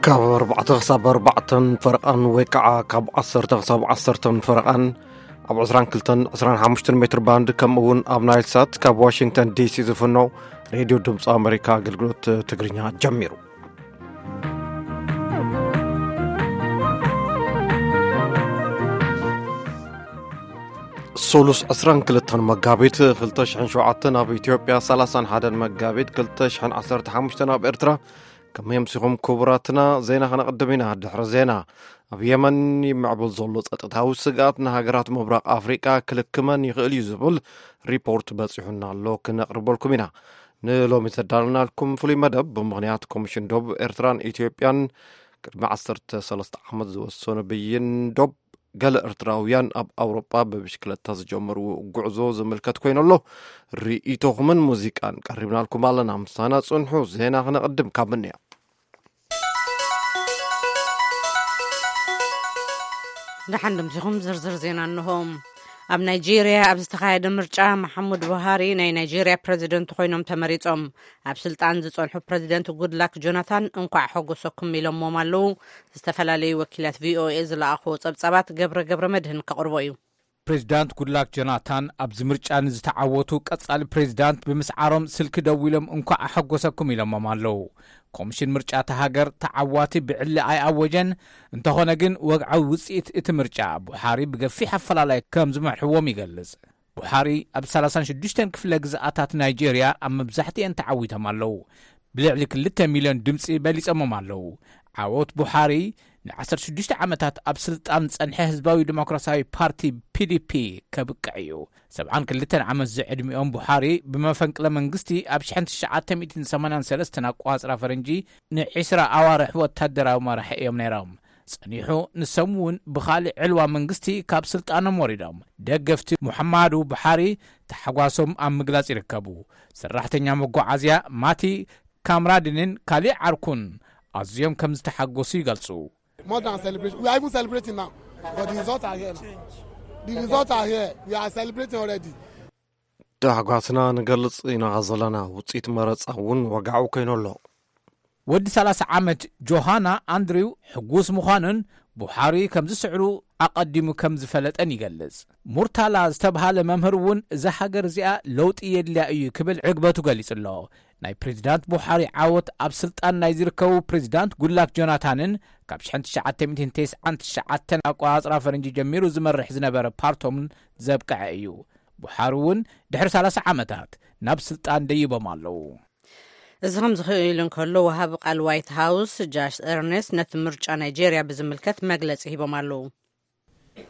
ካብ ኣርባዕተ ክሳብ ኣርባዕተን ፈረቓን ወይ ከዓ ካብ ዓሰርተ ክሳብ ዓሰርተን ፈረቓን ኣብ ዕስራን ክልተን ዕስራን ሓሙሽተን ሜትር ባንድ፣ ከምኡ እውን ኣብ ናይል ሳት ካብ ዋሽንግተን ዲሲ ዝፍኖ ሬድዮ ድምፂ ኣሜሪካ ኣገልግሎት ትግርኛ ጀሚሩ። ሶሉስ ዕስራን ክልተን መጋቢት ክልተ ሽሕን ሸውዓተን ኣብ ኢትዮጵያ፣ ሰላሳን ሓደን መጋቢት ክልተ ሽሕን ዓሰርተ ሓሙሽተን ኣብ ኤርትራ። ከመይ ኣምሲኹም ክቡራትና? ዜና ከነቕድም ኢና። ድሕሪ ዜና፣ ኣብ የመን ይምዕብል ዘሎ ጸጥታዊ ስግኣት ንሃገራት ምብራቕ ኣፍሪቃ ክልክመን ይኽእል እዩ ዝብል ሪፖርት በጺሑና ኣሎ፣ ክነቕርበልኩም ኢና። ንሎሚ ዘዳለናልኩም ፍሉይ መደብ፣ ብምኽንያት ኮሚሽን ዶብ ኤርትራን ኢትዮጵያን ቅድሚ ዓሰርተ ሰለስተ ዓመት ዝወሰኑ ብይን ዶብ፣ ገለ ኤርትራውያን ኣብ ኣውሮጳ ብብሽክለታ ዝጀመርዎ ጉዕዞ ዝምልከት ኮይኑ ኣሎ። ርእይቶኹምን ሙዚቃን ቀሪብናልኩም ኣለና። ምሳና ጽንሑ። ዜና ክነቕድም ካብ ምንያ። ደሓን ድምሲኹም ዝርዝር ዜና እንሆ። ኣብ ናይጄርያ ኣብ ዝተኻየደ ምርጫ፣ መሓሙድ ቡሃሪ ናይ ናይጄርያ ፕረዚደንት ኮይኖም ተመሪጾም። ኣብ ስልጣን ዝጸንሑ ፕረዚደንት ጉድላክ ጆናታን እንኳዕ ሓጎሰኩም ኢሎሞም ኣለዉ። ዝተፈላለዩ ወኪላት ቪኦኤ ዝለኣኽዎ ጸብጻባት ገብረ ገብረ መድህን ከቕርቦ እዩ። ፕሬዚዳንት ጉድላክ ጆናታን ኣብዚ ምርጫ ንዝተዓወቱ ቀጻሊ ፕሬዚዳንት ብምስዓሮም ስልኪ ደዊሎም እንኳዕ ሓጎሰኩም ኢሎሞም ኣለዉ። ኮሚሽን ምርጫ እታ ሃገር ተዓዋቲ ብዕሊ ኣይኣወጀን። እንተኾነ ግን ወግዓዊ ውጽኢት እቲ ምርጫ ቡሓሪ ብገፊሕ ኣፈላላይ ከም ዝመርሕዎም ይገልጽ። ቡሓሪ ኣብ ሰላሳን ሽዱሽተን ክፍለ ግዝኣታት ናይጄርያ ኣብ መብዛሕትኤን ተዓዊቶም ኣለዉ። ብልዕሊ ክልተ ሚልዮን ድምጺ በሊጾሞም ኣለዉ። ዓወት ቡሓሪ ንዓሰርተ ሽዱሽተ ዓመታት ኣብ ስልጣን ዝጸንሐ ህዝባዊ ዲሞክራሲያዊ ፓርቲ፣ ፒ ዲ ፒ፣ ከብቅዕ እዩ። ሰብዓን ክልተን ዓመት ዝዕድሚኦም ቡሓሪ ብመፈንቅለ መንግስቲ ኣብ ሽሕን ትሽዓተ ሚእትን ሰማንያን ሰለስተን ኣቋጽራ ፈረንጂ ንዒስራ ኣዋርሕ ወታደራዊ መራሒ እዮም ነይሮም። ጸኒሑ ንሶም እውን ብኻልእ ዕልዋ መንግስቲ ካብ ስልጣኖም ወሪዶም። ደገፍቲ ሙሐማዱ ቡሓሪ ታሕጓሶም ኣብ ምግላጽ ይርከቡ። ሰራሕተኛ መጓዓዝያ ማቲ ካምራድንን ካሊእ ዓርኩን ኣዝዮም ከም ዝተሓጎሱ ይገልጹ። More than celebration. We are even celebrating now. But the results are here now. The results are here. We are celebrating already. ታሕጓስና ንገልጽ ኢና ዘለና። ውጽኢት መረጻ እውን ወግዓዊ ኮይኑ ኣሎ። ወዲ ሰላሳ ዓመት ጆሃና ኣንድሪው ሕጉስ ምዃኑን ቡሓሪ ከም ዝስዕሩ ኣቐዲሙ ከም ዝፈለጠን ይገልጽ። ሙርታላ ዝተብሃለ መምህር እውን እዛ ሃገር እዚኣ ለውጢ የድልያ እዩ ክብል ዕግበቱ ገሊጹ ኣሎ። ናይ ፕሬዚዳንት ቡሓሪ ዓወት ኣብ ስልጣን ናይ ዝርከቡ ፕሬዚዳንት ጉድላክ ጆናታንን ካብ ሽሕን ትሽዓተ ሚእትን ተስዓን ትሽዓተን ኣቋጽራ ፈረንጂ ጀሚሩ ዝመርሕ ዝነበረ ፓርቶምን ዘብቅዐ እዩ። ቡሓሪ እውን ድሕሪ ሰላሳ ዓመታት ናብ ስልጣን ደይቦም ኣለዉ። እዚ ከም ዝኽእል እንከሎ፣ ወሃቢ ቃል ዋይት ሃውስ ጃሽ ኤርኔስት ነቲ ምርጫ ናይጄርያ ብዝምልከት መግለጺ ሂቦም ኣለዉ።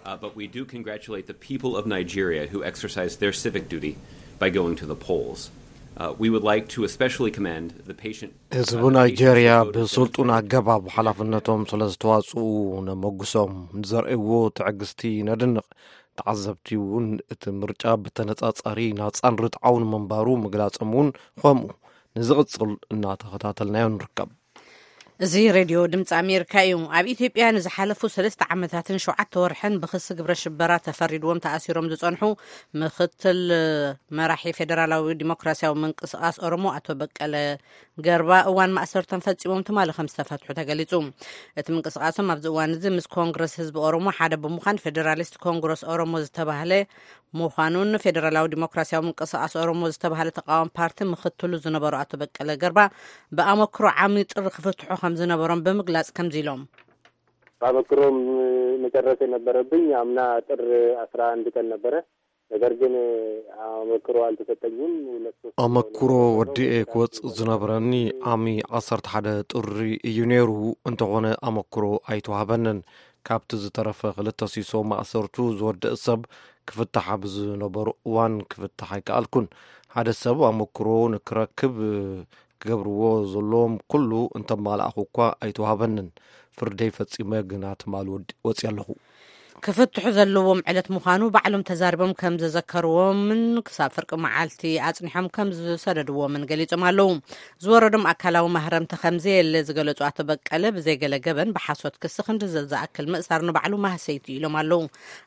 Uh, but we do congratulate the people of Nigeria who exercised their civic duty by going to the polls. Uh, we would like to especially commend the patient, uh, ህዝቢ the ናይጄርያ patience they showed ብስልጡን ኣገባብ ሓላፍነቶም ስለ ዝተዋጽኡ ነመጉሶም። ንዘርእይዎ ትዕግስቲ ነድንቕ። ተዓዘብቲ እውን እቲ ምርጫ ብተነጻጻሪ ናጻን ርትዓውን ምንባሩ ምግላጾም እውን ከምኡ። ንዝቕጽል እናተኸታተልናዮ ንርከብ። እዚ ሬድዮ ድምፂ ኣሜሪካ እዩ። ኣብ ኢትዮጵያ ንዝሓለፉ ሰለስተ ዓመታትን ሸውዓተ ወርሕን ብክሲ ግብረ ሽበራ ተፈሪድዎም ተኣሲሮም ዝጸንሑ ምክትል መራሒ ፌደራላዊ ዲሞክራሲያዊ ምንቅስቃስ ኦሮሞ ኣቶ በቀለ ገርባ እዋን ማእሰርቶም ፈጺሞም ትማሊ ከም ዝተፈትሑ ተገሊጹ። እቲ ምንቅስቃሶም ኣብዚ እዋን እዚ ምስ ኮንግረስ ህዝቢ ኦሮሞ ሓደ ብምዃን ፌደራሊስት ኮንግረስ ኦሮሞ ዝተባህለ ምዃኑን ፌደራላዊ ዲሞክራሲያዊ ምንቅስቃስ ኦሮሞ ዝተባህለ ተቃዋሚ ፓርቲ ምክትሉ ዝነበሩ ኣቶ በቀለ ገርባ ብኣመክሮ ዓሚ ጥሪ ክፍትሑ ከም ዝነበሮም ብምግላጽ ከምዚ ኢሎም። በአመክሮም መጨረስ የነበረብኝ አምና ጥር አስራ አንድ ቀን ነበረ። ነገር ግን አመክሮ አልተሰጠኝም። ሁለት ሶስት አመክሮ ወዲኤ ክወጽእ ዝነበረኒ ዓሚ ዓሰርተ ሓደ ጥሪ እዩ ነይሩ። እንተኾነ ኣመክሮ ኣይተዋህበንን። ካብቲ ዝተረፈ ክልተ ሲሶ ማእሰርቱ ዝወደእ ሰብ ክፍታሕ ኣብ ዝነበሮ እዋን ክፍታሕ ኣይከኣልኩን። ሓደ ሰብ ኣመክሮ ንክረክብ ክገብርዎ ዘለዎም ኩሉ እንተማላእኹ እኳ ኣይተዋህበንን። ፍርደይ ፈጺመ ግና ትማል ወዲ-፣ ወጺአ ኣለኹ። ክፍትሑ ዘለዎም ዕለት ምዃኑ ባዕሎም ተዛሪቦም ከም ዘዘከርዎምን ክሳብ ፍርቂ መዓልቲ ኣጽኒሖም ከም ዝሰደድዎምን ገሊጾም ኣለዉ። ዝወረዶም ኣካላዊ ማህረምቲ ከም ዘየለ ዝገለጹ ኣቶ በቀለ፣ ብዘይገለ ገበን ብሓሶት ክሲ ክንዲ ዝኣክል ምእሳር ንባዕሉ ማህሰይቲ ኢሎም ኣለዉ።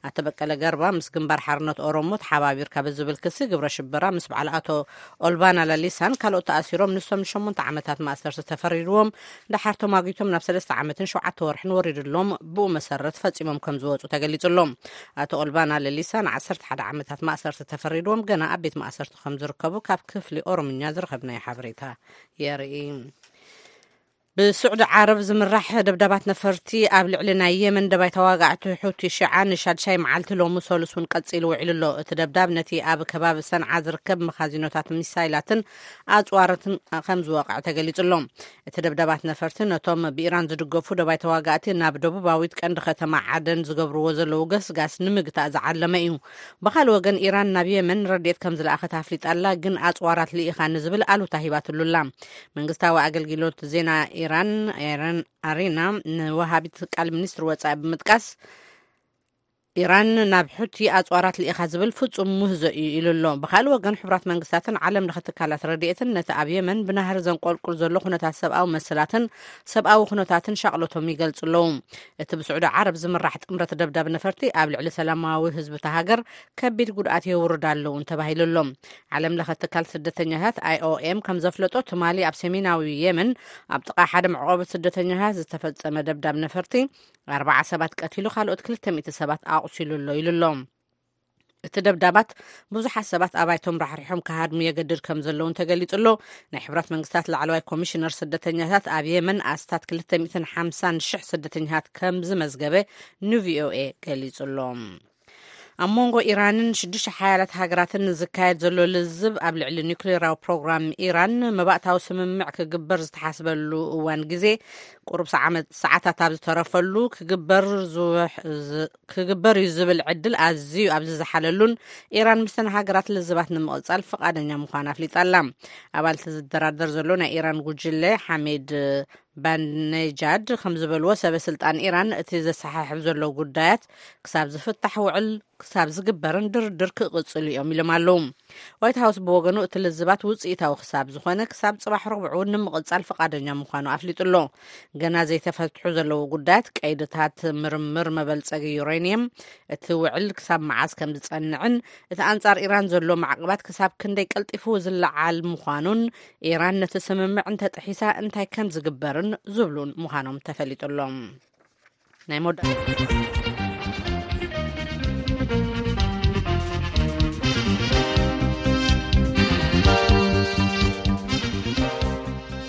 ኣቶ በቀለ ገርባ ምስ ግንባር ሓርነት ኦሮሞ ተሓባቢርካ ብዝብል ክሲ ግብረ ሽበራ ምስ በዓል ኣቶ ኦልባና ለሊሳን ካልኦት ተኣሲሮም፣ ንሶም ንሸሞንተ ዓመታት ማእሰርቲ ተፈሪድዎም፣ ደሓር ተማጒቶም ናብ ሰለስተ ዓመትን ሸውዓተ ወርሕን ወሪድሎም፣ ብኡ መሰረት ፈጺሞም ከም ዝወጹ ተገሊጹሎም። ኣቶ ኦልባና ለሊሳ ንዓሰርተ ሓደ ዓመታት ማእሰርቲ ተፈሪድዎም፣ ገና ኣብ ቤት ማእሰርቲ ከም ዝርከቡ ካብ ክፍሊ ኦሮምኛ ዝረኸብናዮ ሓበሬታ የርኢ። ብስዑዲ ዓረብ ዝምራሕ ደብዳባት ነፈርቲ ኣብ ልዕሊ ናይ የመን ደባይ ተዋጋዕቲ ሑቲ ሽዓ ንሻድሻይ መዓልቲ ሎሚ ሰሉስ እውን ቀጺሉ ውዒሉ ኣሎ። እቲ ደብዳብ ነቲ ኣብ ከባቢ ሰንዓ ዝርከብ መኻዚኖታት ሚሳይላትን ኣጽዋራትን ከም ዝወቕዐ ተገሊጹ ኣሎ። እቲ ደብዳባት ነፈርቲ ነቶም ብኢራን ዝድገፉ ደባይ ተዋጋእቲ ናብ ደቡባዊት ቀንዲ ከተማ ዓደን ዝገብርዎ ዘለዉ ገስጋስ ንምግታእ ዝዓለመ እዩ። ብኻልእ ወገን፣ ኢራን ናብ የመን ረድኤት ከም ዝለኣኸት ኣፍሊጣ ኣላ፣ ግን ኣጽዋራት ልኢኻ ንዝብል ኣሉታ ሂባትሉ ኣላ። መንግስታዊ ኣገልግሎት ዜና ኢራን፣ ኢራን ኣሪና፣ ንወሃቢት ቃል ሚኒስትሪ ወጻኢ ብምጥቃስ፣ ኢራን ናብ ሑቲ ኣጽዋራት ልኢኻ ዝብል ፍጹም ምህዞ እዩ ኢሉ ኣሎ። ብኻልእ ወገን፣ ሕቡራት መንግስታትን ዓለም ለኸ ትካላት ረድኤትን ነቲ ኣብ የመን ብናህሪ ዘንቆልቁል ዘሎ ኩነታት ሰብኣዊ መሰላትን ሰብኣዊ ኩነታትን ሻቕሎቶም ይገልጹ ኣለዉ። እቲ ብስዑዲ ዓረብ ዝምራሕ ጥምረት ደብዳብ ነፈርቲ ኣብ ልዕሊ ሰላማዊ ህዝቢ እታ ሃገር ከቢድ ጉድኣት የውርድ ኣለዉ ተባሂሉ ኣሎ። ዓለም ለኸ ትካል ስደተኛታት ኣይ ኦ ኤም ከም ዘፍለጦ፣ ትማሊ ኣብ ሰሜናዊ የመን ኣብ ጥቓ ሓደ መዕቆቢ ስደተኛታት ዝተፈጸመ ደብዳብ ነፈርቲ ኣርባዓ ሰባት ቀቲሉ፣ ካልኦት ክልተ ሚእቲ ሰባት ኣቑሲሉ ኣሎ ኢሉ ኣሎ። እቲ ደብዳባት ብዙሓት ሰባት ኣባይቶም ራሕሪሖም ክሃድሙ የገድድ ከም ዘለውን ተገሊጹ ኣሎ። ናይ ሕብራት መንግስታት ላዕለዋይ ኮሚሽነር ስደተኛታት ኣብ የመን ኣስታት ክልተ ሚእትን ሓምሳን ሽሕ ስደተኛታት ከም ዝመዝገበ ን ቪ ኦ ኤ ገሊጹ ኣሎ። ኣብ መንጎ ኢራንን ሽዱሽተ ሓያላት ሃገራትን ዝካየድ ዘሎ ልዝብ ኣብ ልዕሊ ኒውክሌራዊ ፕሮግራም ኢራን መባእታዊ ስምምዕ ክግበር ዝተሓስበሉ እዋን ግዜ ቁሩብ ሰዓመት-፣ ሰዓታት ኣብ ዝተረፈሉ ክግበር ዝውሕ-፣ ዝ-፣ ክግበር እዩ ዝብል ዕድል ኣዝዩ ኣብ ዝዝሓለሉን ኢራን ምስተን ሃገራት ልዝባት ንምቕጻል ፍቓደኛ ምዃና ኣፍሊጣ ኣላ። ኣባልቲ ዝደራደር ዘሎ ናይ ኢራን ጉጅለ ሓሜድ ባንነጃድ ከም ዝበልዎ፣ ሰበ ስልጣን ኢራን እቲ ዘሰሓሕብ ዘሎ ጉዳያት ክሳብ ዝፍታሕ ውዕል ክሳብ ዝግበርን ድርድር ክቕጽሉ እዮም ኢሎም ኣለዉ። ዋይት ሃውስ ብወገኑ እቲ ልዝባት ውጽኢታዊ ክሳብ ዝኾነ ክሳብ ጽባሕ ረቡዕ እውን ንምቕጻል ፍቓደኛ ምዃኑ ኣፍሊጡ ኣሎ። ገና ዘይተፈትሑ ዘለዉ ጉዳያት ቀይድታት ምርምር መበልጸጊ ዩሬንየም፣ እቲ ውዕል ክሳብ መዓስ ከም ዝጸንዕን እቲ ኣንጻር ኢራን ዘሎ ማዕቕባት ክሳብ ክንደይ ቀልጢፉ ዝለዓል ምዃኑን ኢራን ነቲ ስምምዕ እንተጥሒሳ እንታይ ከም ዝግበርን ዝብሉን ምዃኖም ተፈሊጡ ኣሎ። ናይ መወዳእታ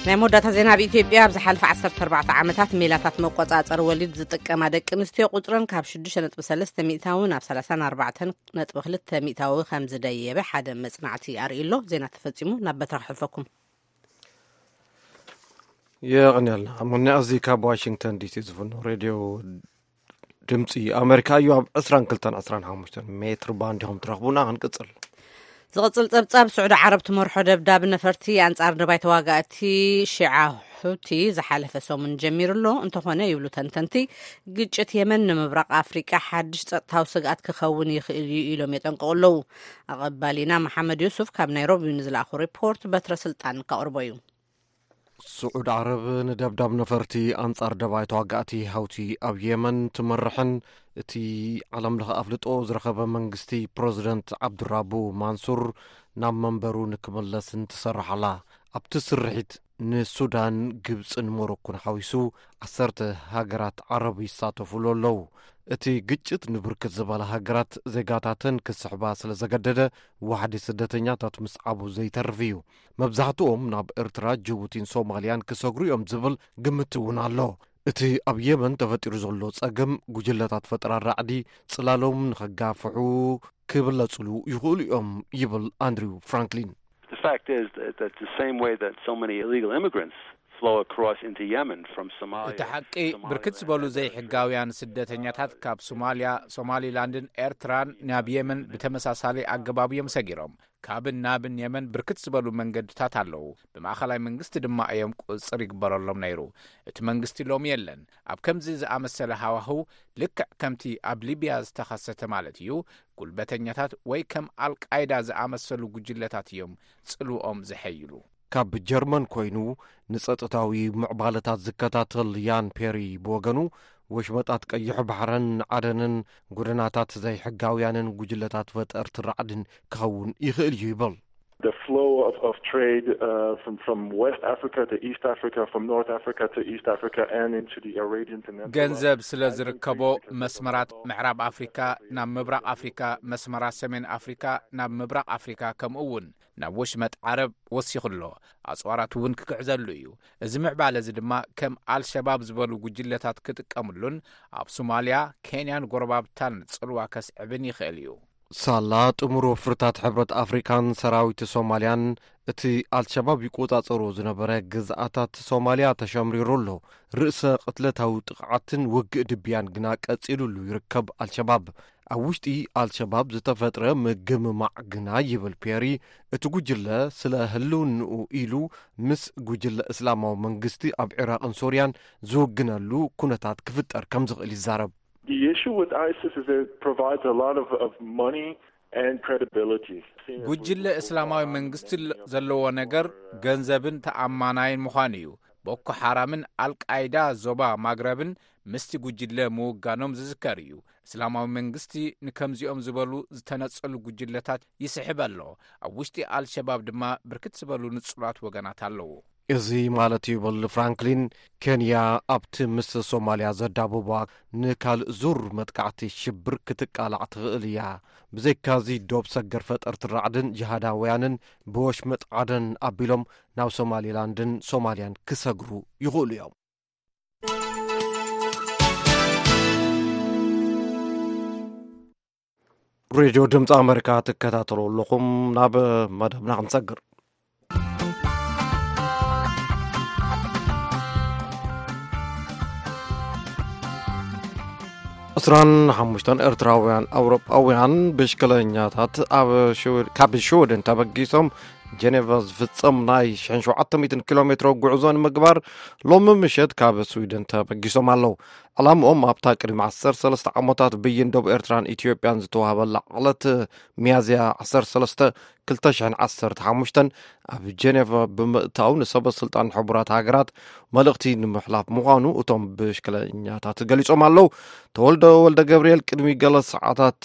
ናይ መወዳእታ ዜና። ኣብ ኢትዮጵያ ኣብ ዝሓለፈ ዓሰርተ ኣርባዕተ ዓመታት ሜላታት መቆጻጸሪ ወሊድ ዝጥቀማ ደቂ ኣንስትዮ ቁጽረን ካብ ሽዱሽተ ነጥቢ ሰለስተ ሚእታዊ ናብ ሰላሳን ኣርባዕተን ነጥቢ ክልተ ሚእታዊ ከም ዝደየበ ሓደ መጽናዕቲ ኣርእዩ ኣሎ። ዜና ተፈጺሙ። ናብ በትራ ክሕልፈኩም። የቐንየልና። ኣሞኒ ኣዚ ካብ ዋሽንግተን ዲሲ ዝፍኖ ሬድዮ ድምፂ ኣሜሪካ እዩ። ኣብ ዕስራን ክልተን ዕስራን ሓሙሽተን ሜትር ባንድ ኢኹም ትረኽቡና። ክንቅፅል። ዝቕፅል ፀብፃብ። ስዑዲ ዓረብ ትመርሖ ደብዳብ ነፈርቲ ኣንፃር ደባይ ተዋጋእቲ ሺዓ ሑቲ ዝሓለፈ ሰሙን ጀሚሩ ኣሎ። እንተኾነ፣ ይብሉ ተንተንቲ፣ ግጭት የመን ንምብራቕ ኣፍሪቃ ሓድሽ ጸጥታዊ ስግኣት ክኸውን ይኽእል እዩ ኢሎም የጠንቅቑ ኣለዉ። ኣቐባሊና መሓመድ ዩሱፍ ካብ ናይሮቢ ንዝለኣኹ ሪፖርት በትረ ስልጣን ከቕርቦ እዩ። ስዑድ ዓረብ ንደብዳብ ነፈርቲ ኣንጻር ደባይ ተዋጋእቲ ሀውቲ ኣብ የመን ትመርሕን እቲ ዓለም ለኸ ኣፍልጦ ዝረኸበ መንግስቲ ፕረዚደንት ዓብዱራቡ ማንሱር ናብ መንበሩ ንክምለስን ትሰርሕ ኣላ። ኣብቲ ስርሒት ንሱዳን፣ ግብጽን ሞሮኮን ሓዊሱ ዓሰርተ ሃገራት ዓረብ ይሳተፉሉ ኣለዉ። እቲ ግጭት ንብርክት ዝበላ ሃገራት ዜጋታተን ክስሕባ ስለ ዘገደደ ዋሕዲ ስደተኛታት ምስዓቡ ዘይተርፍ እዩ። መብዛሕትኦም ናብ ኤርትራ፣ ጅቡቲን ሶማልያን ክሰግሩ እዮም ዝብል ግምት እውን ኣሎ። እቲ ኣብ የመን ተፈጢሩ ዘሎ ጸገም ጉጅለታት ፈጠራ ራዕዲ ጽላሎም ንኸጋፍሑ ክብለጽሉ ይኽእሉ እዮም ይብል ኣንድሪው ፍራንክሊን። The fact is that, that the same way that so many illegal immigrants flow across into Yemen from Somalia. እቲ ሓቂ፣ ብርክት ዝበሉ ዘይሕጋውያን ስደተኛታት ካብ ሶማልያ፣ ሶማሊላንድን ኤርትራን ናብ የመን ብተመሳሳሊ ኣገባብ እዮም ሰጊሮም። ካብን ናብን የመን ብርክት ዝበሉ መንገድታት ኣለዉ። ብማእኸላይ መንግስቲ ድማ እዮም ቁፅፅር ይግበረሎም ነይሩ። እቲ መንግስቲ ሎሚ የለን። ኣብ ከምዚ ዝኣመሰለ ሃዋህው፣ ልክዕ ከምቲ ኣብ ሊብያ ዝተኸሰተ ማለት እዩ፣ ጉልበተኛታት ወይ ከም ኣልቃይዳ ዝኣመሰሉ ጉጅለታት እዮም ጽልውኦም ዘሐይሉ። ካብ ጀርመን ኮይኑ ንጸጥታዊ ምዕባለታት ዝከታተል ያን ፔሪ ብወገኑ፣ ወሽመጣት ቀይሕ ባሕርን ዓደንን ጎደናታት ዘይሕጋውያንን ጉጅለታት ፈጠርቲ ራዕድን ክኸውን ይኽእል እዩ ይብል። The flow of, of trade uh, from, from West Africa to East Africa, from North Africa to East Africa, and into the Arabian Peninsula. ገንዘብ ስለ ዝርከቦ፣ መስመራት ምዕራብ ኣፍሪካ ናብ ምብራቕ ኣፍሪካ፣ መስመራት ሰሜን ኣፍሪካ ናብ ምብራቕ ኣፍሪካ፣ ከምኡ እውን ናብ ወሽመጥ ዓረብ ወሲኹ ኣሎ። ኣፅዋራት እውን ክግዕዘሉ እዩ። እዚ ምዕባለ እዚ ድማ ከም ኣልሸባብ ዝበሉ ጉጅለታት ክጥቀምሉን ኣብ ሶማልያ፣ ኬንያን ጎረባብታን ጽልዋ ከስዕብን ይኽእል እዩ። ሳላ ጥሙር ወፍርታት ሕብረት ኣፍሪካን ሰራዊት ሶማልያን፣ እቲ ኣልሸባብ ይቆጻጸሮ ዝነበረ ግዝኣታት ሶማልያ ተሸምሪሩ ኣሎ። ርእሰ ቅትለታዊ ጥቕዓትን ውግእ ድብያን ግና ቀጺሉሉ ይርከብ። ኣልሸባብ ኣብ ውሽጢ ኣልሸባብ ዝተፈጥረ ምግምማዕ ግና፣ ይብል ፔሪ፣ እቲ ጉጅለ ስለ ህልውንኡ ኢሉ ምስ ጉጅለ እስላማዊ መንግስቲ ኣብ ዒራቕን ሶርያን ዝውግነሉ ኩነታት ክፍጠር ከም ዝኽእል ይዛረብ። The issue with ISIS is it provides a lot of, of money and credibility. ጉጅለ እስላማዊ መንግስቲ ል- ዘለዎ ነገር ገንዘብን ተኣማናይን ምዃኑ እዩ። ቦኮ ሓራምን ኣልቃይዳ ዞባ ማግረብን ምስቲ ጉጅለ ምውጋኖም ዝዝከር እዩ። እስላማዊ መንግስቲ ንከምዚኦም ዝበሉ ዝተነጸሉ ጉጅለታት ይስሕብ ኣሎ። ኣብ ውሽጢ ኣልሸባብ ድማ ብርክት ዝበሉ ንጹላት ወገናት ኣለዉ። እዚ ማለት እዩ፣ ይብል ፍራንክሊን፣ ኬንያ ኣብቲ ምስ ሶማልያ ዘዳብባ ንካልእ ዙር መጥቃዕቲ ሽብር ክትቃላዕ ትኽእል እያ። ብዘይካዚ፣ ዶብ ሰገር ፈጠርቲ ራዕድን ጅሃዳውያንን ብወሽመጥ ዓደን ኣቢሎም ናብ ሶማሊላንድን ሶማልያን ክሰግሩ ይኽእሉ እዮም። ሬድዮ ድምፂ ኣመሪካ ትከታተሉ ኣለኹም። ናብ መደብና ክንሰግር። ዕስራን ሓሙሽተን ኤርትራውያን ኣውሮጳውያን ብሽክለኛታት ኣብ ሽወ- ካብ ሽወደን ተበጊሶም ጀኔቫ ዝፍጸም ናይ ሽሕን ሸውዓተ ሚእትን ኪሎ ሜትሮ ጉዕዞ ንምግባር ሎሚ ምሸት ካብ ስዊደን ተበጊሶም ኣለዉ። ዕላምኦም ኣብታ ቅድሚ ዓሰርተ ሰለስተ ዓመታት ብይን ደቡብ ኤርትራን ኢትዮጵያን ዝተዋህበላ ዕለት ሚያዝያ ዓሰርተ ሰለስተ ክልተ ሽሕን ዓሰርተ ሓሙሽተን ኣብ ጀኔቫ ብምእታው ንሰበ ስልጣን ሕቡራት ሃገራት መልእኽቲ ንምሕላፍ ምዃኑ እቶም ብሽክለኛታት ገሊጾም ኣለዉ። ተወልደ ወልደ ገብርኤል ቅድሚ ገለ ሰዓታት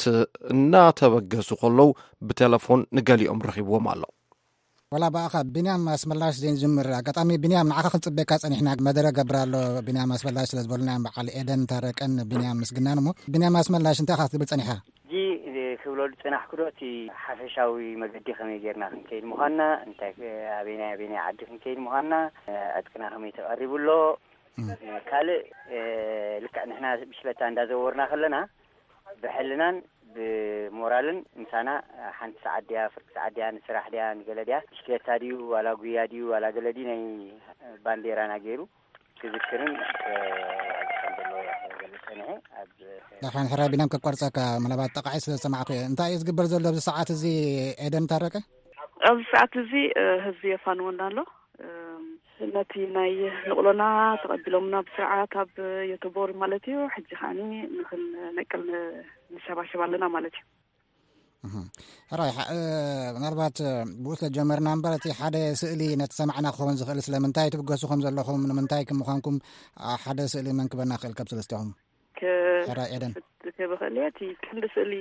እናተበገሱ ከለዉ ብቴሌፎን ንገሊኦም ረኺብዎም ኣሎ። ወላ ብኣኻ ቢንያም ኣስመላሽ ዘይንጅምር፣ ኣጋጣሚ ቢንያም ንዓኻ ክንጽበየካ ጸኒሕና፣ መደረ ገብር ኣሎ ቢንያም ኣስመላሽ ስለ ዝበሉና እዮም፣ በዓል ኤደን ታረቀን ቢንያም ምስግናን። እሞ ቢንያም ኣስመላሽ እንታይ ኢኻ ክትብል ጸኒሕካ? ሕጂ ክብሎ ዝጸናሕኩ ዶ እቲ ሓፈሻዊ መገዲ ከመይ ጌርና ክንከይድ ምዃንና፣ እንታይ ኣበይናይ ኣበይናይ ዓዲ ክንከይድ ምዃንና፣ ዕጥቅና ከመይ ተቐሪቡ ኣሎ። ካልእ ልክዕ ንሕና ብሽክለታ እንዳዘወርና ከለና ብሕልናን ብሞራልን ምሳና ሓንቲ ሰዓት ድያ፣ ፍርቂ ሰዓት ድያ፣ ንስራሕ ድያ፣ ንገለ ድያ፣ ብሽክለታ ድዩ ዋላ ጉያ ድዩ ዋላ ገለ ድዩ ናይ ባንዴራና ገይሩ ክዝክርን ክገልጽ ጸኒሐ። ኣብ ዳሕራን ሕራይ ቢናም ከቋርጸካ፣ ምናልባት ጠቃዒ ስለ ዝሰማዕኩ እየ። እንታይ እዩ ዝግበር ዘሎ ኣብዚ ሰዓት እዚ ኤደን ታረቀ? ኣብዚ ሰዓት እዚ ህዝቢ የፋንወና ኣሎ። ነቲ ናይ ንቕሎና ተቐቢሎምና ብስርዓት ኣብ ዮቶቦሪ ማለት እዩ። ሕጂ ከዓኒ ንኽንነቅል ንሸባሸብ ኣለና ማለት እዩ። ሕራይ፣ ምናልባት ብኡ ስለ ጀመርና እምበር፣ እቲ ሓደ ስእሊ ነቲ ሰማዕና ክኸውን ዝኽእል፣ ስለምንታይ ትብገሱ ከም ዘለኹም፣ ንምንታይ ከም ምዃንኩም ሓደ ስእሊ መንክበና ክእል ካብ ሰለስቲኹም? ሕራይ ኤደን። ክብኽእል እየ። እቲ ክንዲ ስእሊ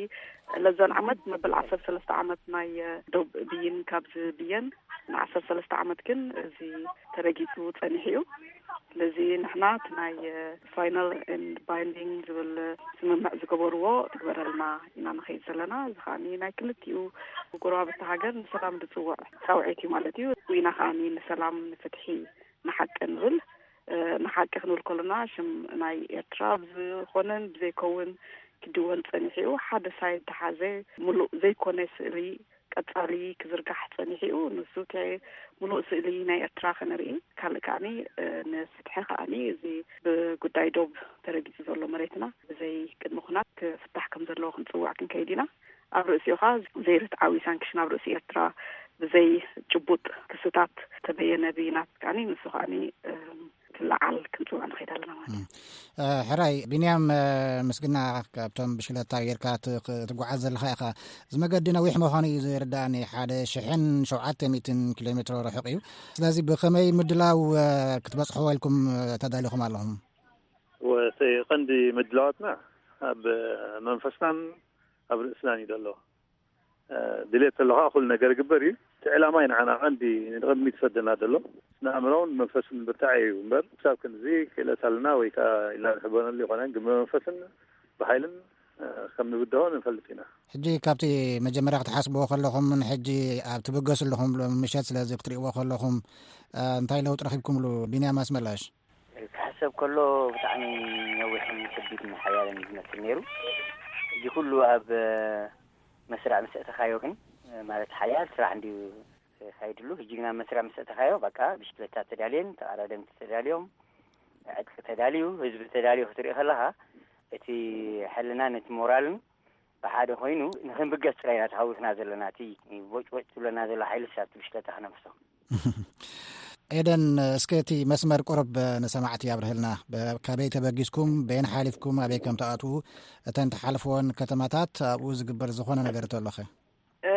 ለዛን ዓመት መበል ዓሰርተ ሰለስተ ዓመት ናይ ዶብ ብይን ካብ ዝብየን ንዓሰርተ ሰለስተ ዓመት ግን እዚ ተረጊጹ ጸኒሑ እዩ። ስለዚ ንሕና እቲ ናይ ፋይናል ኤንድ ባይንዲንግ ዝብል ስምምዕ ዝገበርዎ ትግበረልና ኢና ንኸይድ ዘለና። እዚ ከዓኒ ናይ ክልቲኡ ጎረባብቲ ሃገር ንሰላም ዝጽውዕ ጻውዒት እዩ ማለት እዩ። ኢና ከዓኒ ንሰላም፣ ንፍትሒ፣ ንሓቂ ንብል። ንሓቂ ክንብል ከለና ሽም ናይ ኤርትራ ብዝኾነን ብዘይከውን ክድወን ጸኒሑ እዩ። ሓደ ሳይድ ተሓዘ፣ ምሉእ ዘይኮነ ስእሊ ቀጻሊ ክዝርጋሕ ጸኒሑ እዩ። ንሱ እቲ ሙሉእ ስእሊ ናይ ኤርትራ ከነርኢ፣ ካልእ ከኣኒ፣ እ፣ ንፍትሒ ከኣኒ፣ እዚ ብጉዳይ ዶብ ተረጊጹ ዘሎ መሬትና ብዘይ ቅድሚ ኩናት ክፍታሕ ከም ዘለዎ ክንጽውዕ ክንከይድ ኢና። ኣብ ርእሲኡ ኸኣ ዘይርትዓዊ ሳንክሽን ኣብ ርእሲ ኤርትራ ብዘይ ጭቡጥ ክስታት ተበየነ ብይናት ከኣኒ፣ ንሱ ከኣኒ፣ እ፣ ክለዓል ክንጽውዕ ንኸይድ ኣለና ማለት እዩ። እ፣ ሕራይ፣ ቢንያም፣ እ፣ ምስግና፣ ካብቶም ብሽክለታ ጌርካ ት-፣ ክ-፣ ትጓዓዝ ዘለኻ ኢኻ። እዚ መገዲ ነዊሕ ምዃኑ እዩ ዝርዳእኒ። ሓደ ሽሕን ሸውዓተ ሚእትን ኪሎ ሜትሮ ርሑቕ እዩ። ስለዚ ብኸመይ ምድላው፣ እ፣ ክትበጽሕዎ ኢልኩም፣ እ፣ ተዳሊኹም ኣለኹም? ወ-፣ እቲ ቀንዲ ምድላዋትና ኣብ መንፈስናን ኣብ ርእስናን እዩ ዘሎ። እ፣ ድሌት ተሎ ከዓ ኩሉ ነገር ይግበር እዩ። እቲ ዕላማ እዩ ንዓና ቀንዲ ንቕድሚት ዝሰደና ዘሎ። ስነ ኣእምሮን መንፈስን ብርታዕ እዩ እምበር፣ ክሳብ ክንዚ ክእለት ኣለና ወይ ከዓ ኢልና ንሕበነሉ ይኾነን፣ ግን ብመንፈስን ብሓይልን፣ እ፣ ከም ንብድሆ ንፈልጥ ኢና። ሕጂ ካብቲ መጀመርያ ክትሓስብዎ ከለኹም፣ ንሕጂ ኣብ ትብገሱ ኣለኹም ምሸት፣ ስለዚ ክትርእይዎ ከለኹም፣ እ፣ እንታይ ለውጢ ረኺብኩምሉ? ቢንያም ኣስመላሽ። ክሕሰብ ከሎ ብጣዕሚ ነዊሕን ከቢድን ሓያልን እዩ ዝመስል ነይሩ። እዚ ኩሉ ኣብ መስርዕ ምስ ኣእተኻዮ ግን፣ ማለት ሓያል ስራሕ እንድዩ ካይድሉ። ሕጂ ግን ኣብ መስርዕ ምስ ኣእተኻዮ በቃ ብሽክለታ ተዳልየን፣ ተቐዳደምቲ ተዳልዮም፣ ዕጥቂ ተዳልዩ፣ ህዝቢ ተዳልዩ ክትርኢ ከለኻ እቲ ሕልናን እቲ ሞራልን ብሓደ ኮይኑ ንኽንብገስ ጥራይ ኢና ተሃዊኽና ዘለና። እቲ ቦጭቦጭ ትብለና ዘሎ ሓይልስ ኣብቲ ብሽክለታ ክነፍሶ። ኤደን፣ እስከ እቲ መስመር ቁሩብ ንሰማዕቲ ኣብርህልና። በ-፣ ካበይ ተበጊስኩም፣ በየን ሓሊፍኩም፣ ኣበይ ከም ትኣትዉ፣ እተን ትሓልፍወን ከተማታት፣ ኣብኡ ዝግበር ዝኾነ ነገር እንተሎኸ? እ፣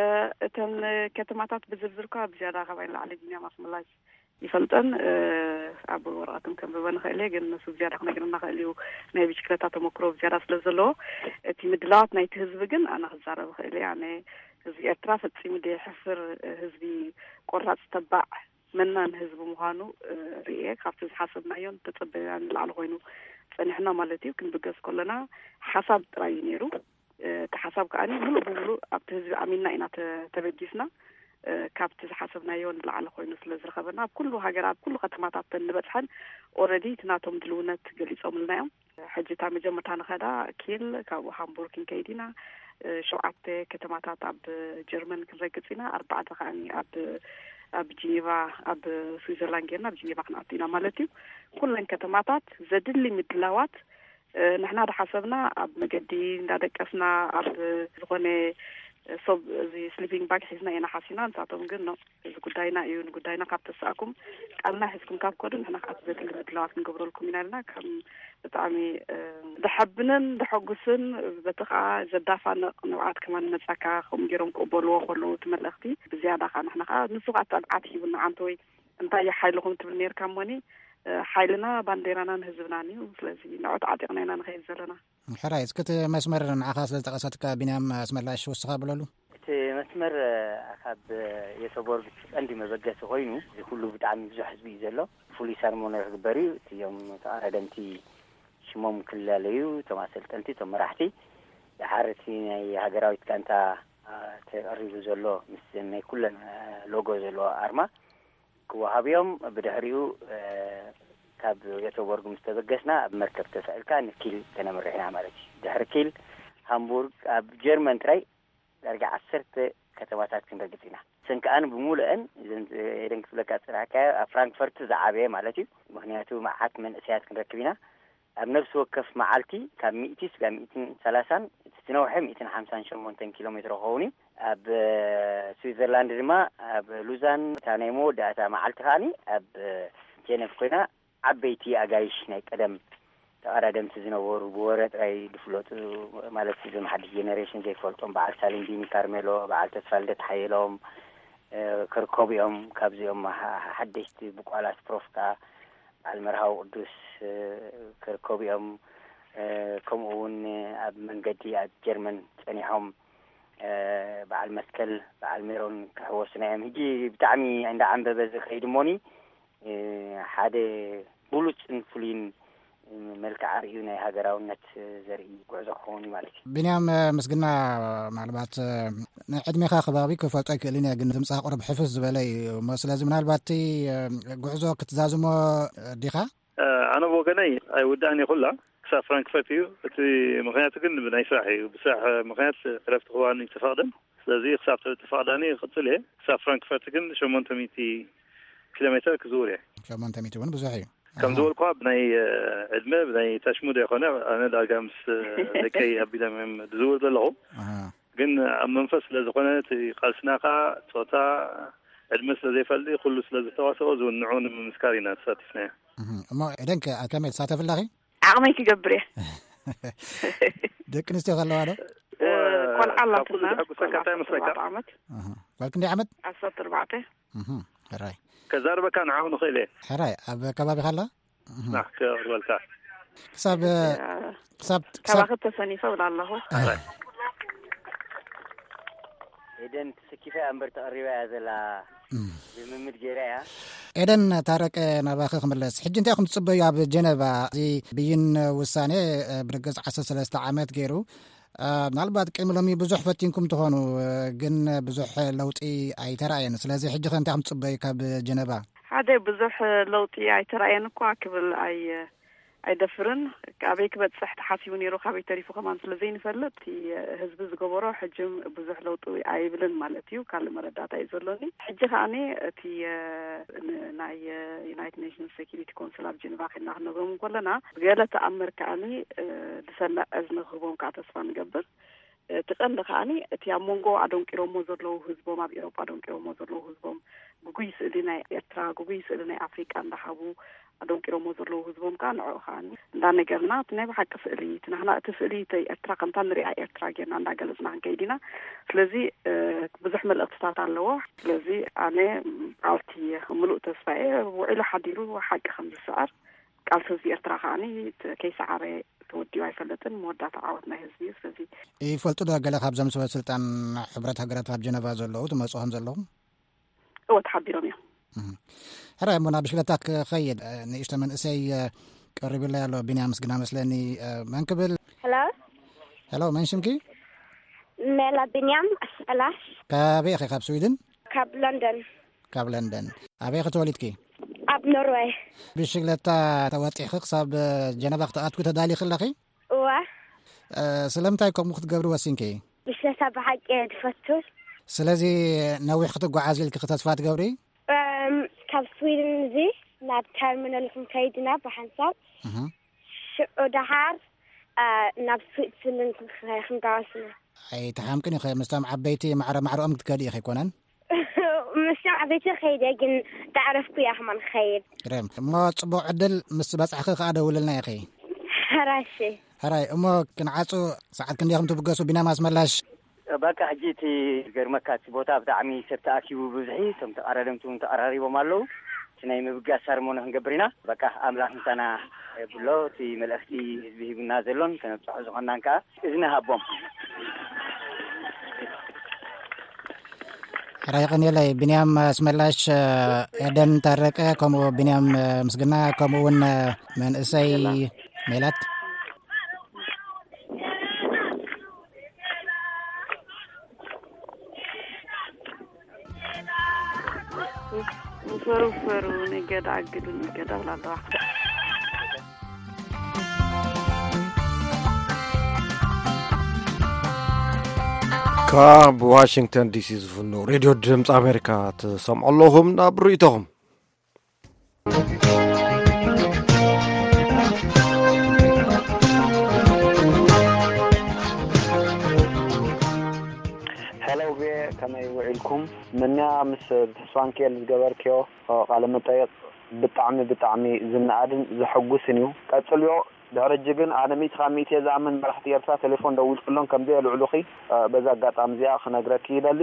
እተን ከተማታት ብዝርዝር እኳ ብዝያዳ ካባይ ንላዕሊ ቢንያም ኣስመላሽ ይፈልጠን። እ፣ ኣብ ወረቐት እውን ከንብበን እኽእል እየ፣ ግን ንሱ ብዝያዳ ክነግረና ክእል እዩ፣ ናይ ብሽክለታ ተመክሮ ብዝያዳ ስለ ዘለዎ። እቲ ምድላዋት ናይቲ ህዝቢ ግን ኣነ ክዛረብ እኽእል እየ። ኣነ ህዝቢ ኤርትራ ፈጺሙ ደይሕፍር፣ ህዝቢ ቆራጽ፣ ተባዕ፣ መናን ህዝቢ ምዃኑ፣ እ፣ ርእየ። ካብቲ ዝሓሰብናዮን ተጸበናዮን ንላዕሊ ኮይኑ ጸኒሕና ማለት እዩ። ክንብገስ ከለና ሓሳብ ጥራይ እዩ ነይሩ። እ፣ እቲ ሓሳብ ከኣ ምሉእ ብምሉእ ኣብቲ ህዝቢ ኣሚንና ኢና ተ-፣ ተበጊስና። እ፣ ካብቲ ዝሓሰብናዮ ንላዕሊ ኮይኑ ስለ ዝረኸበና፣ ኣብ ኩሉ ሃገራት፣ ኣብ ኩሉ ከተማታት እንበጽሐን ኦረዲ እቲ ናቶም ድልውነት ገሊጾምልና እዮም። ሕጂ እታ መጀመርታ ንኸዳ ኪል፣ ካብኡ ሃምቡርግ ክንከይድ ኢና። እ፣ ሸውዓተ ከተማታት ኣብ ጀርመን ክንረግጽ ኢና፣ ኣርባዕተ ከኣ ኣብ፣ ኣብ ጂኔቫ፣ ኣብ ስዊዘርላንድ ጌርና ኣብ ጂኔቫ ክንኣቱ ኢና ማለት እዩ። ኩለን ከተማታት ዘድሊ ምድላዋት፣ እ፣ ንሕና ዝሓሰብና ኣብ መገዲ እንዳደቀስና ኣብ ዝኾነ ሶብ፣ እዚ ስሊፒንግ ባግ ሒዝና ኢና ሓሲና። ንሳቶም ግን ኖ፣ እዚ ጉዳይና እዩ፣ ንጉዳይና ካብ ተሳእኩም ቃልና ሒዝኩም ካብ ከዱ ንሕና ከዓ ዘድሊ ምድላዋት ክንገብረልኩም ኢና ኢልና። ከም ብጣዕሚ፣ እ፣ ዘሐብንን ዘሐጉስን በቲ ከዓ ዘዳፋንቕ ንብዓት ከማን መጻካ ከምኡ ገይሮም ክቕበልዎ ከለዉ እቲ መልእኽቲ ብዝያዳ ከዓ ንሕና ከዓ ንሱ ከዓ ትብዓት ሂቡና። ኣንተ ወይ እንታይ እዩ ሓይልኹም ትብል ነርካ እሞኒ፣ እ፣ ሓይልና ባንዴራናን ህዝብናን እዩ። ስለዚ ንዑ ተዓጢቕና ኢና ንኸይድ ዘለና። ሕራይ፣ እስኪ እቲ መስመር ንዓኻ ስለ ዝጠቐሰትካ ቢንያም ኣስመላሽ ውስኻ ብለሉ። እቲ መስመር፣ እ፣ ካብ የሰቦርግ ቀንዲ መበገሲ ኮይኑ፣ እዚ ኩሉ ብጣዕሚ ብዙሕ ህዝቢ እዩ ዘሎ። ፍሉይ ሰርሞኒ ክግበር እዩ። እቲኦም ተቐዳደምቲ ሽሞም ክላለዩ፣ እቶም ኣሰልጠንቲ፣ እቶም መራሕቲ፣ ድሓር እቲ ናይ ሃገራዊት ጋንታ፣ እ፣ ተቐሪቡ ዘሎ ምስ ናይ ኩለን፣ እ፣ ሎጎ ዘለዎ ኣርማ ክወሃብ እዮም። ብድሕሪኡ፣ እ፣ ካብ የተቦርግ ምስ ተበገስና ኣብ መርከብ ተሳኢልካ ንኪል ከነምርሕ ኢና ማለት እዩ። ድሕሪ ኪል ሃምቡርግ ኣብ ጀርመን ጥራይ ዳርጋ ዓሰርተ ከተማታት ክንረግጽ ኢና። እሰን ከኣ ብሙሉአን እዘን ኤደን ክትብለካ ዝጸናሕካዮ ኣብ ፍራንክፈርት ዝዓበየ ማለት እዩ። ምኽንያቱ መዓት መንእሰያት ክንረክብ ኢና። ኣብ ነፍሲ ወከፍ መዓልቲ ካብ ሚእቲ ስጋብ ሚእትን ሰላሳን፣ እቲ ዝነውሐ ሚእትን ሓምሳን ሸሞንተን ኪሎ ሜትሮ ክኸውን እዩ። ኣብ፣ እ፣ ስዊዘርላንድ ድማ ኣብ ሉዛን፣ እታ ናይ መወዳእታ መዓልቲ ከኣኒ ኣብ፣ እ፣ ጀነቭ ኮይና፣ ዓበይቲ ኣጋይሽ ናይ ቀደም ተቐዳደምቲ ዝነበሩ፣ ብወረ ጥራይ ዝፍለጡ፣ ማለት እዞም ሓድሽ ጀነሬሽን ዘይፈልጦም፣ በዓል ሳሊንዲኒ ካርሜሎ፣ በዓል ተስፋልደት ሓየሎም፣ እ፣ ክርከቡ እዮም። ካብዚኦም ሓ-፣ ሓደሽቲ ብቋላት ፕሮፍካ፣ በዓል መርሃዊ ቅዱስ፣ እ፣ ክርከቡ እዮም። እ፣ ከምኡ እውን ኣብ መንገዲ ኣብ ጀርመን ጸኒሖም፣ እ፣ በዓል መስቀል፣ በዓል ሜሮን ክሕወሱና እዮም። ሕጂ ብጣዕሚ እንዳዓንበበ ዝኸይድ እሞኒ፣ እ፣ ሓደ ብሉጽን ፍሉይን መልክዓ ርእዩ ናይ ሃገራውነት ዘርኢ ጉዕዞ ክኸውን እዩ ማለት እዩ። ቢንያም፣ ምስግና፣ ምናልባት ንዕድሜኻ ከባቢ ክፈልጦ ኣይክእልን እየ፣ ግን ድምፅኻ ቁሩብ ሕፍስ ዝበለ እዩ እሞ፣ ስለዚ ምናልባት እቲ ጉዕዞ ክትዛዝሞ ዲኻ? ኣነ ብወገነይ ኣይውዳእን እየ ኩላ ክሳብ ፍራንክፈርት እዩ። እቲ ምኽንያቱ ግን ብናይ ስራሕ እዩ። ብስራሕ ምኽንያት ዕረፍቲ ክወሃበኒ ዝተፈቕደን ስለዚ ክሳብ ተፈቕዳኒ ክቕጽል እየ። ክሳብ ፍራንክፈርት ግን ሸሞንተ ሚእቲ ኪሎ ሜትር ክዝውር እየ። ሸሞንተ ሚእቲ እውን ብዙሕ እዩ። ከም ዝበልኳ ብናይ ዕድመ ብናይ ታሽሙዶ ይኮነ ኣነ ዳርጋ ምስ ደቀይ ኣቢሎም እዮም ዝዝውር ዘለኹ። ግን ኣብ መንፈስ ስለ ዝኾነ እቲ ቃልስና ከዓ ፆታ ዕድመ ስለ ዘይፈልጥ ኩሉ ስለ ዝተዋሰኦ ዝውንዑ ንምምስካር ኢና ተሳቲፍናዮ። እሞ ኤደን ከ ኣብ ከመይ ትሳተፍ ኣለኺ? ዓቕመይ ክገብር እየ። ደቂ ኣንስትዮ ከለዋ ዶ? ቆልዓ ኣላትና ጓል ዓመት። ጓል ክንደይ ዓመት? ዓሰርተ ኣርባዕተ። ሕራይ ከዛርበካ ንዓኹ ንኽእል እየ። ሕራይ ኣብ ከባቢኻ ኣላ? ክቕበልካ ክሳብ ክሳብ ካባኺ ተሰኒፈ እብላ ኣለኹ። ኤደን ተሰኪፋ እያ እምበር ተቐሪባ እያ ዘላ። ልምምድ ገይራ እያ። ኤደን ታረቀ፣ ናባኺ ክምለስ። ሕጂ እንታይ ኢኹም ትጽበዩ ኣብ ጀነቫ? እዚ ብይን ውሳኔ ብርግጽ ዓሰርተ ሰለስተ ዓመት ገይሩ። ምናልባት ቅድሚ ሎሚ ብዙሕ ፈቲንኩም ትኾኑ፣ ግን ብዙሕ ለውጢ ኣይተራእየን። ስለዚ ሕጂ ከ እንታይ ኢኹም ትጽበዩ ካብ ጀነቫ? ሓደ ብዙሕ ለውጢ ኣይተራእየን እኳ ክብል ኣይ ኣይደፍርን። ኣበይ ክበፅሕ ተሓሲቡ ነይሩ ካበይ ተሪፉ ከማን ስለ ዘይንፈልጥ እቲ ህዝቢ ዝገበሮ ሕጅም ብዙሕ ለውጢ ኣይብልን ማለት እዩ። ካልእ መረዳእታ እዩ ዘሎኒ። ሕጂ ከዓኒ እቲ ናይ ዩናይትድ ኔሽንስ ሴኪሪቲ ኮንስል ኣብ ጀኔቫ ከድና ክንነግሮም እንከለና ብገለ ተኣምር ከዓኒ ዝሰምዕ እዝኒ ክህቦም ከዓ ተስፋ ንገብር። እቲ ቀንዲ ከዓኒ እቲ ኣብ መንጎ ኣደንቂሮሞ ዘለዉ ህዝቦም ኣብ ኤሮጳ ኣደንቂሮሞ ዘለዉ ህዝቦም ግጉይ ስእሊ ናይ ኤርትራ ግጉይ ስእሊ ናይ ኣፍሪቃ እንዳሃቡ ኣደንቂሮሞ ዘለዉ ህዝቦም ከዓ ንዕኡ ከዓኒ እንዳነገርና እቲ ናይ ብሓቂ ስእሊ እቲ ናህና እቲ ስእሊ እቲ ኤርትራ ከምታ ንሪኣ ኤርትራ ጌርና እንዳገለጽና ክንከይድ ኢና። ስለዚ ብዙሕ መልእክትታት ኣለዎ። ስለዚ ኣነ ኣብቲ ምሉእ ተስፋ እየ። ውዒሉ ሓዲሩ ሓቂ ከም ዝስዕር ቃልሲ ህዝቢ ኤርትራ ከዓኒ ከይሰዓረ ተወዲኡ ኣይፈልጥን። መወዳእታ ዓወት ናይ ህዝቢ እዩ። ስለዚ ይፈልጡ ዶ ገለ ካብዞም ሰበ ስልጣን ሕብረት ሃገራት ኣብ ጀነቫ ዘለዉ ትመፁ ከም ዘለኹም? እወ ተሓቢሮም እዮም። ሕራይ እሞ ናብ ብሽክለታ ክኸይድ ንእሽቶ መንእሰይ ቀሪቡለይ ኣሎ። ቢንያም ምስግና መስለኒ መን ክብል? ሄሎ ሄሎ፣ መን ሽምኪ? ሜላ ቢንያም ኣስመላሽ። ካበይ ኢኺ? ካብ ስዊድን? ካብ ለንደን። ካብ ለንደን። ኣበይ ኢኺ ተወሊድኪ? ኣብ ኖርወይ። ብሽግለታ ተወጢሕኺ ክሳብ ጀነባ ክትኣትዊ ተዳሊኺ ኣለኺ? እወ። ስለምንታይ ከምኡ ክትገብሪ ወሲንኪ? ብሽግለታ ብሓቂ እየ ዝፈቱ። ስለዚ ነዊሕ ክትጓዓዝ ኢልኪ ተስፋ ትገብሪ? እም፣ ካብ ስዊድን እዚ ናብ ተርሚናል ክንከይድ ኢና ብሓንሳብ። እህ። ሽዑ ደሓር እ፣ ናብ ስዊትዘርላንድ ክንከ- ክንጋወስ ኢና። ኣይተሓምቅን ኢኺ፣ ምስቶም ዓበይቲ ማዕረ ማዕረኦም ክትከዲ ኢኺ ኣይኮነን? ምስቶም ዓበይቲ ከይደ ግን ዳዕረፍኩ እያ ከማን ክኸይድ። ግርም። እሞ ጽቡቕ ዕድል፣ ምስ በጻሕኺ ከኣ ደውልልና ኢኺ። ሕራይ እሺ። ሕራይ። እሞ ክንዓጹ፣ ሰዓት ክንደይ ኢኹም ትብገሱ? ቢንያም ኣስመላሽ። በቃ ሕጂ እቲ ዝገርመካ እቲ ቦታ ብጣዕሚ ሰብ ተኣኪቡ ብብዝሒ፣ እቶም ተቐዳደምቲ እውን ተቐራሪቦም ኣለዉ። እቲ ናይ ምብጋስ ሳርሞኒ ክንገብር ኢና። በቃ ኣምላኽ ምሳና የብሎ። እቲ መልእኽቲ ህዝቢ ሂቡና ዘሎን ከነብጽሖ ዝኾንናን ከኣ እዝኒ ሃቦም። ሕራይ የቐንየለይ። ቢንያም ኣስመላሽ፣ ኤደን ታረቀ፣ ከምኡ ቢንያም ምስግና፣ ከምኡ እውን መንእሰይ ሜላት። ውፈሩ ውፈሩ ንገዳ ኣግዱ ንገዳ ብላ ኣለዋ። ካብ ዋሽንግተን ዲሲ ዝፍኖ ሬድዮ ድምፂ ኣሜሪካ ትሰምዑ ኣለኹም። ናብ ርእይቶኹም። ሄሎ ቪኦኤ፣ ከመይ ውዒልኩም? ምንያ ምስ ተስፋንኪኤል ዝገበርክዮ ቃለ መጠይቕ ብጣዕሚ ብጣዕሚ ዝነኣድን ዘሐጉስን እዩ። ቀጽልዮ። ድሕሪ ሕጂ ግን ኣነ ሚእቲ ካብ ሚእቲ እየ ዝኣምን መራሕቲ ኤርትራ ቴሌፎን ደዊልክሎም ከምዘየልዕሉኺ በዛ ኣጋጣሚ እዚኣ ክነግረኪ ይደሊ።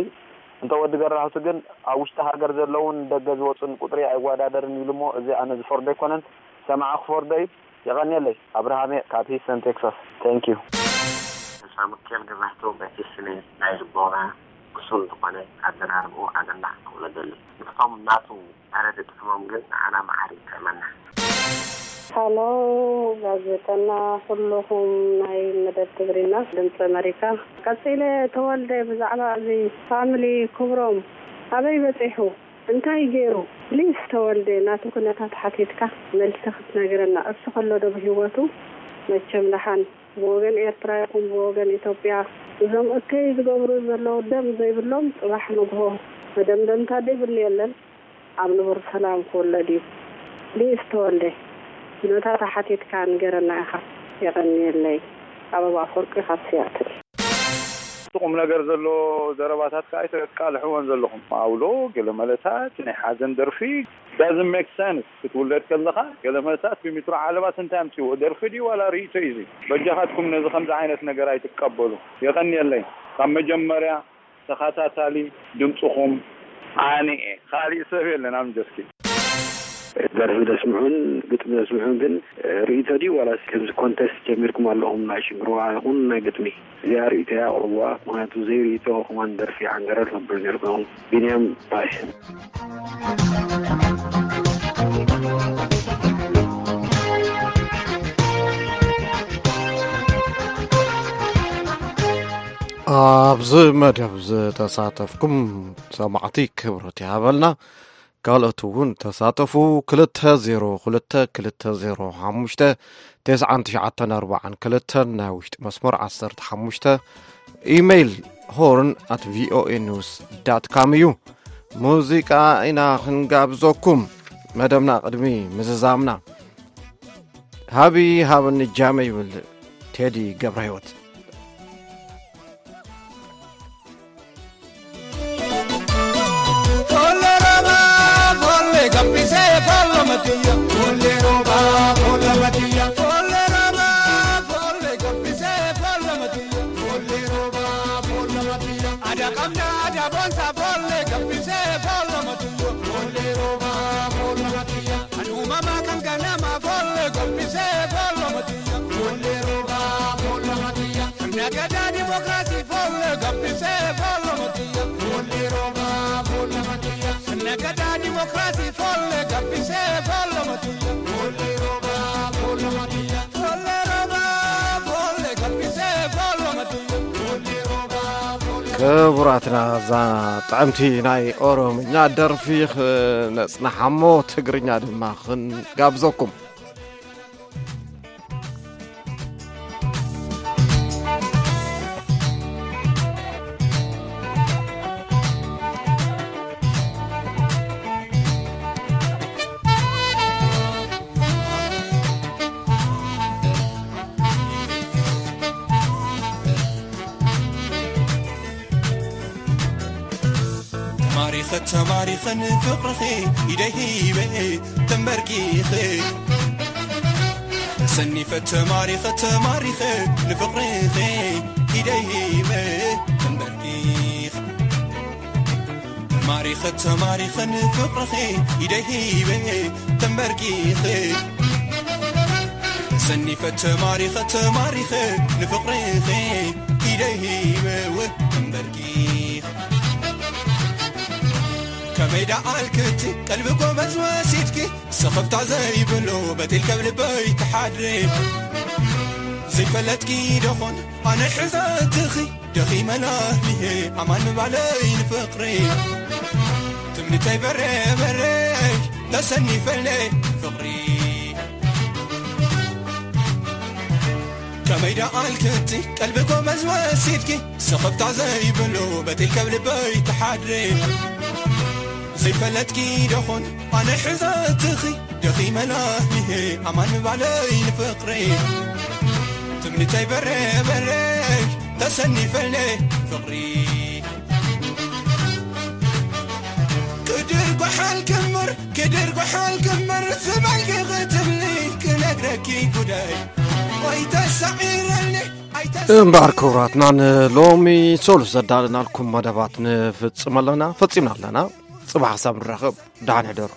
እንተ ወዲ ገራህቱ ግን ኣብ ውሽጢ ሃገር ዘለውን ደገ ዝወጹን ቁጽሪ ኣይወዳደርን ኢሉ እሞ እዚ ኣነ ዝፈርዶ ኣይኮነን፣ ሰማዒ ክፈርዶ እዩ። የቐንየለይ። ኣብርሃም እየ ካብ ሂስተን ቴክሳስ። Thank you። ተስፋ ምክኤል ገዛህቱ በቲ ስነ ናይ ልቦና ብሱል ዝኾነ ኣዘራርብኡ ኣገናዕ ክብሎ ደሊ። ንሶም ናቱ ኣረ ድጥዕሞም ግን ንዓና መዓር ይጥዕመና። ሃሎ ጋዜጠና ኩሉኹም ናይ መደብ ትግርኛ ድምፂ ኣመሪካ። ቀፂለ ተወልደ ብዛዕባ እዚ ፋሚሊ ክብሮም ኣበይ በፂሑ እንታይ ገይሩ ፕሊስ ተወልደ ናቱ ኩነታት ሓቲትካ መልሲ ክትነግረና እሱ ከሎ ዶ ብሂወቱ መቸም ደሓን ብወገን ኤርትራ ይኹን ብወገን ኢትዮጵያ እዞም እከይ ዝገብሩ ዘለዉ ደም ዘይብሎም ጽባሕ ንግሆ መደምደምታ ዘይብሉ የለን። ኣብ ንቡር ሰላም ክውለድ እዩ። ሊእስ ተወልደ፣ ኩነታታ ሓቲትካ ንገረና ኢኻ። የቐንየለይ። ኣበባ ኣፈወርቂ ካብ ሲያትል። እቲ ቁም ነገር ዘሎ ዘረባታት ከኣ ኣይተቃልሕዎን ዘለኹም። ኣውሎ ገለ መለታት ናይ ሓዘን ደርፊ doesn't make sense። ክትውለድ ከለኻ ገለ መለታት ብሚትሮ ዓለባስ እንታይ ኣምጽዎ? ደርፊ ድዩ ዋላ ርእይቶ እዩ እዚ? በጃኻትኩም ነዚ ከምዚ ዓይነት ነገር ኣይትቀበሉ። የቐንየለይ። ካብ መጀመርያ ተኸታታሊ ድምፅኹም ኣነ እየ። ካሊእ ሰብ የለን ኣብ ጀስኪ። ደርፊ ደስምዑን ግጥሚ ደስምዑን ግን ርእይቶ ድዩ ዋላስ ከምዚ ኮንተስት ጀሚርኩም ኣለኹም ናይ ሽንግርዋ ይኹን ናይ ግጥሚ? እዚኣ ርእይቶ እያ ኣቕርብዋ። ምኽንያቱ ዘይርእይቶ ከማን ደርፊ ሓንገረር ነብር ነርኩም። ቢንያም ባይ። ኣብዚ መደብ ዝተሳተፍኩም ሰማዕቲ ክብረት ይሃበልና። ካልኦት እውን ተሳተፉ። ክልተ ዜሮ ክልተ ክልተ ዜሮ ሓሙሽተ ተስዓን ትሽዓተን ኣርባዓን ክልተን ናይ ውሽጢ መስመር ዓሰርተ ሓሙሽተ ኢሜይል ሆርን ኣት ቪኦኤ ኒውስ ዳት ካም እዩ። ሙዚቃ ኢና ክንጋብዘኩም። መደብና ቅድሚ ምዝዛምና ሃቢ ሃብኒ ጃመ ይብል ቴዲ ገብረ ህይወት። Nagada demokrasi folle gabbise folle matiya. Folle roba folle matiya. Nagada demokrasi folle gabbise folle matiya. Folle roba folle matiya. Folle roba folle gabbise folle matiya. Folle roba folle ክቡራትና እዛ ጥዕምቲ ናይ ኦሮምኛ ደርፊ ክነጽናሓሞ ትግርኛ ድማ ክንጋብዘኩም። ተማሪኸ ተማሪኸ ንፍቕርኺ ኢደይ ሂበ ተንበርኪኸ። ተሰኒፈ ተማሪኸ ተማሪኸ ንፍቕርኺ ኢደይ ሂበ ተንበርኪኸ። ተማሪኸ ተማሪኸ ንፍቕርኺ ኢደይ ሂበ ተንበርኪኸ። ተሰኒፈ ተማሪኸ ተማሪኸ ንፍቕርኺ ኢደይ ሂበ ተንበርኪኸ። ከመይ ደኣ ኣልክቲ ቀልቢ ጎበዝ ወሲድኪ፣ ሰኸፍታ ዘይብሉ በጢል ከብ ልበይ ትሓድሪ። ዘይፈለጥኪ ደኾን ኣነ ሕዘትኺ፣ ደኺመ ላህሊሄ ኣማን ምባለይ ንፍቕሪ። ትምኒተይ በሬ በሬ ተሰኒፈልኔ ፍቕሪ። ከመይ ደኣ ኣልክቲ ቀልቢ ጎመዝ ወሲድኪ፣ ሰኸፍታ ዘይብሉ በጢል ከብ ልበይ ትሓድሪ። ዘይፈለጥኪ ደኾን ኣነ ሕዘትኺ፣ ደኺመ ላህሊሄ ኣማን ምባለይ ንፍቕሪ። ትምኒተይ በሬ በሬ ተሰኒፈልኔ ፍቕሪ። ክድር ጓሓል ክምር ክድር ጓሓል ክምር ዝበልኪ ክትብሊ ክነግረኪ ጉዳይ ኣይተሳዒረኒ ኣይተሳ እምበኣር ክቡራትና ንሎሚ ሶሉስ ዘዳለናልኩም መደባት ንፍጽም ኣለና ፈጺምና ኣለና። ጽባሕ ሓሳብ ንራኸብ። ደሓን ሕደሩ።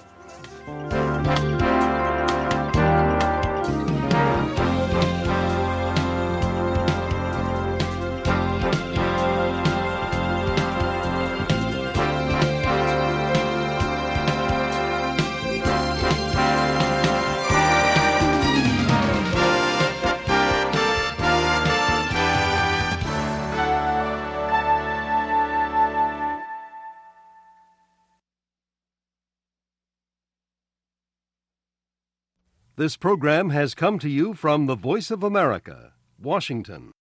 This program has come to you from the Voice of America, Washington.